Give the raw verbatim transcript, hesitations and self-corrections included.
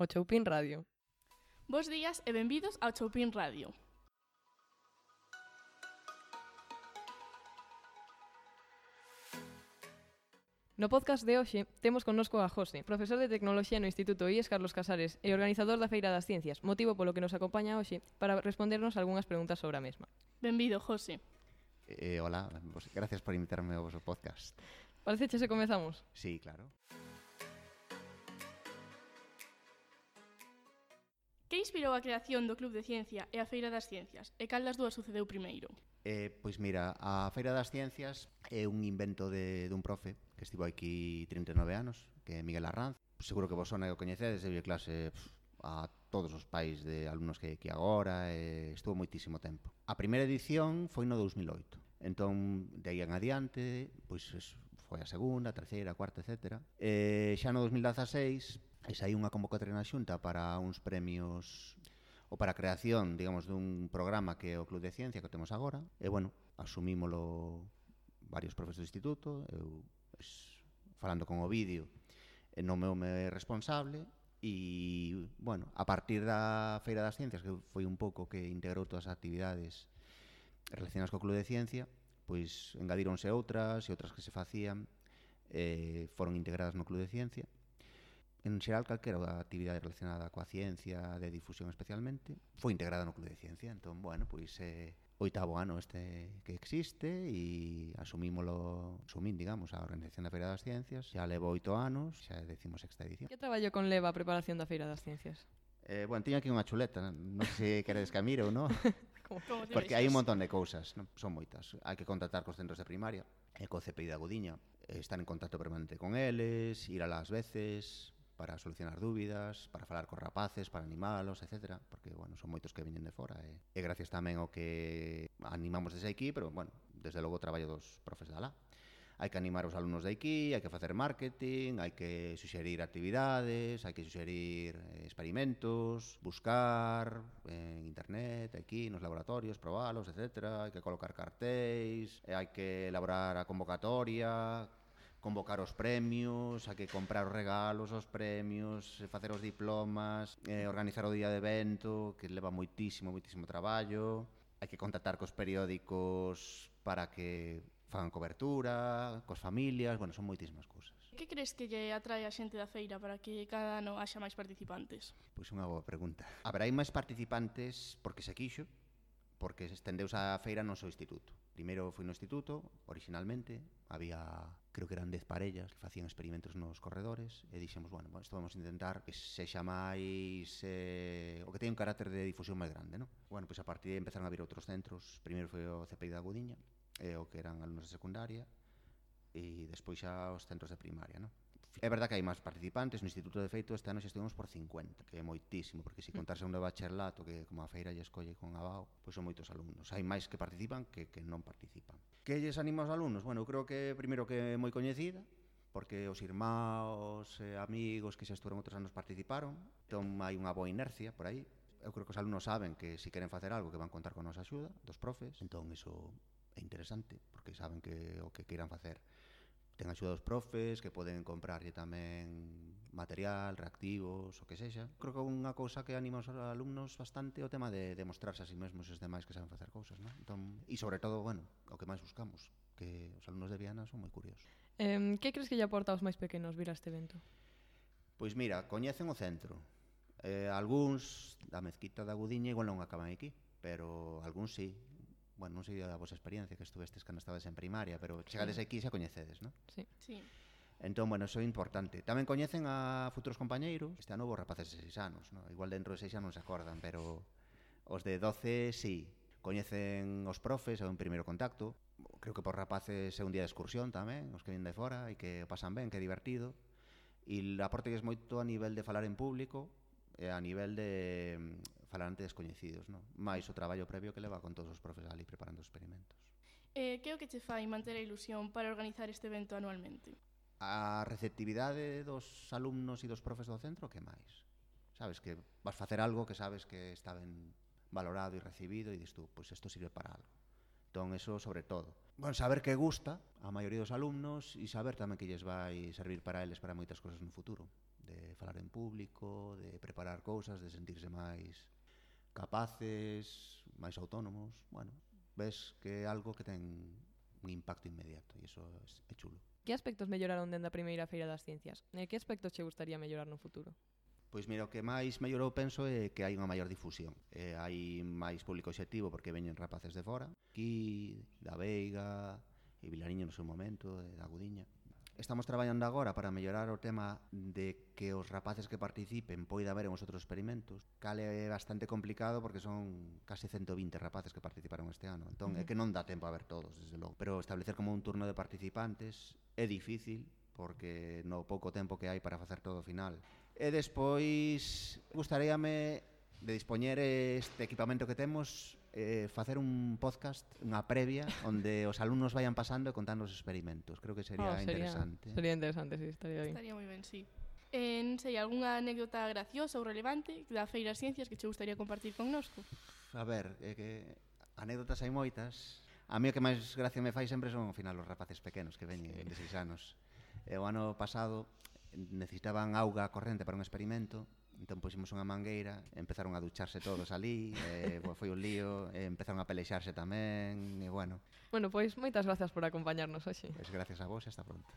O Choupín Radio. Bos días e benvidos ao Choupín Radio. No podcast de hoxe temos connosco a José, profesor de Tecnoloxía no Instituto I E S Carlos Casares e organizador da Feira das Ciencias, motivo polo que nos acompaña hoxe para respondernos algunhas preguntas sobre a mesma. Benvido, José. Eh, hola, pues, gracias por invitarme ao vosso podcast. Parece se comezamos? Sí, claro. Que inspirou a creación do Club de Ciencia e a Feira das Ciencias? E cal das dúas sucedeu primeiro? Eh, pois mira, a Feira das Ciencias é un invento de, dun profe que estivo aquí trinta e nove anos, que é Miguel Arranz. Seguro que vos sona e o coñecedes, deu clase pff, a todos os pais de alumnos que hai aquí agora, e estuvo moitísimo tempo. A primeira edición foi no dous mil oito, entón, de aí en adiante, pois foi a segunda, a terceira, a cuarta, etcétera. E xa no dous mil dezaseis, e saí unha convocatoria na Xunta para uns premios ou para a creación, digamos, dun programa que é o Club de Ciencia que temos agora. E, bueno, asumímolo varios profes do instituto, eu, pues, falando con o vídeo, nomeume responsable, e, bueno, a partir da Feira das Ciencias, que foi un pouco que integrou todas as actividades relacionadas co Club de Ciencia, pois engadíronse outras e outras que se facían eh, foron integradas no Club de Ciencia. En xeral, calquera actividade relacionada coa ciencia, de difusión especialmente, foi integrada no Club de Ciencia. Entón, bueno, pois é eh, oitavo ano este que existe e asumímolo, asumín, digamos, a organización da Feira das Ciencias. Xa levo oito anos, xa é decimosexta edición. Que traballo conleva a preparación da Feira das Ciencias? Eh, bueno, teño aquí unha chuleta, non sei se queredes que a mire ou non. Como te Porque vexas? hai un montón de cousas, non? Son moitas. Hai que contactar cos centros de primaria, e co C P I da Gudiña, estar en contacto permanente con eles, ir a las veces para solucionar dúbidas, para falar cos rapaces, para animalos, etcétera, porque, bueno, son moitos que veñen de fora, e, e gracias tamén ao que animamos desde aquí, pero, bueno, desde logo o traballo dos profes da lá. Hai que animar os alumnos de aquí, hai que facer marketing, hai que suxerir actividades, hai que suxerir eh, experimentos, buscar en internet, aquí nos laboratorios, probalos, etcétera. Hai que colocar cartéis, e hai que elaborar a convocatoria, convocar os premios, hai que comprar os regalos, os premios, facer os diplomas, eh, organizar o día de evento, que leva moitísimo, moitísimo traballo. Hai que contactar cos periódicos para que fagan cobertura, cos familias, bueno, son moitísimas cousas. Que crees que lle atrae a xente da feira para que cada ano haxa máis participantes? Pois unha boa pregunta. Haberá máis participantes porque se quixo, porque se estendeuse a feira no seu instituto. Primeiro foi no instituto, originalmente, había, creo que eran dez parellas que facían experimentos nos corredores, e dixemos, bueno, isto vamos a intentar que sexa máis, eh, o que teña un carácter de difusión máis grande, non? Bueno, pois a partir de aí empezaron a vir outros centros. Primeiro foi o C P I da Gudiña, e o que eran alumnos de secundaria, e despois xa os centros de primaria, non? É verdad que hai máis participantes. No Instituto de Feito este ano xa estivemos por cincuenta, que é moitísimo, porque se contarse un de bacharelato, que como a feira lle escolle con abao, pois son moitos alumnos. Hai máis que participan que, que non participan. Que lles anima aos alumnos? Bueno, eu creo que primeiro que é moi coñecida, porque os irmãos e amigos que xa estuveron outros anos participaron, entón hai unha boa inercia por aí. Eu creo que os alumnos saben que se queren facer algo que van contar con a nosa axuda, dos profes, entón iso é interesante, porque saben que o que queiran facer ten axuda dos profes, que poden comprarlle tamén material, reactivos, o que sexa. Creo que unha cousa que anima aos alumnos bastante é o tema de demostrarse a si mesmos os demais que saben facer cousas, non? Entón, e sobre todo, bueno, o que máis buscamos, que os alumnos de Viana son moi curiosos. Eh, que crees que lle aporta aos máis pequenos vir a este evento? Pois mira, coñecen o centro. Eh, algúns da mezquita da Gudiña igual non acaban aquí, pero algúns sí. Bueno, non sei a vosa experiencia, que estuvestes cando estabas en primaria, pero chegades aquí e xa coñecedes, non? Sí. Sí. Entón, bueno, iso é importante. Tamén coñecen a futuros compañeiros. Este ano houve rapaces de seis anos, non? Igual dentro de seis anos non se acordan, pero os de doce, sí. Coñecen os profes, é un primeiro contacto. Creo que por rapaces é un día de excursión tamén, os que vienen de fora e que o pasan ben, que é divertido. E aportes moito a nivel de falar en público, e a nivel de falar ante descoñecidos, non? Mais o traballo previo que leva con todos os profes ali preparando os experimentos. Eh, que é o que che fai manter a ilusión para organizar este evento anualmente? A receptividade dos alumnos e dos profes do centro, que máis? Sabes, que vas facer algo que sabes que está ben valorado e recibido e dis tú, pois isto sirve para algo. Entón, eso sobre todo. Bueno, saber que gusta a maioría dos alumnos e saber tamén que lles vai servir para eles para moitas cosas no futuro, de falar en público, de preparar cousas, de sentirse máis capaces, máis autónomos. Bueno, ves que é algo que ten un impacto inmediato e iso é chulo. Que aspectos melloraron dende a primeira Feira das Ciencias? E que aspectos che gustaría mellorar no futuro? Pois mira, o que máis mellorou penso é que hai unha maior difusión. Eh, hai máis público obxectivo porque veñen rapaces de fora, aquí, da Veiga, e Vilariño no seu momento, e da Gudiña. Estamos traballando agora para mellorar o tema de que os rapaces que participen poida ver en os outros experimentos. Cale é bastante complicado porque son case ciento vinte rapaces que participaron este ano. Entón, uh-huh. é que non dá tempo a ver todos, desde logo. Pero establecer como un turno de participantes é difícil porque no pouco tempo que hai para facer todo o final. E despois gustaríame de dispoñer este equipamento que temos, eh, facer un podcast, unha previa onde os alumnos vayan pasando e contando os experimentos. Creo que sería, oh, sería interesante. Sería interesante, sí, estaría ben. Estaría moi ben, sí. Eh, non sei, algunha anécdota graciosa ou relevante da Feira das Ciencias que che gustaría compartir connosco? A ver, é que anécdotas hai moitas. A mí o que máis gracia me fai sempre son ao final os rapaces pequenos que veñen de seis anos. E o ano pasado necesitaban auga corrente para un experimento, entón puximos unha mangueira, empezaron a ducharse todos ali, e foi un lío, e empezaron a pelexarse tamén, e bueno. Bueno, pois moitas grazas por acompañarnos hoxe. Pois gracias a vos e hasta pronto.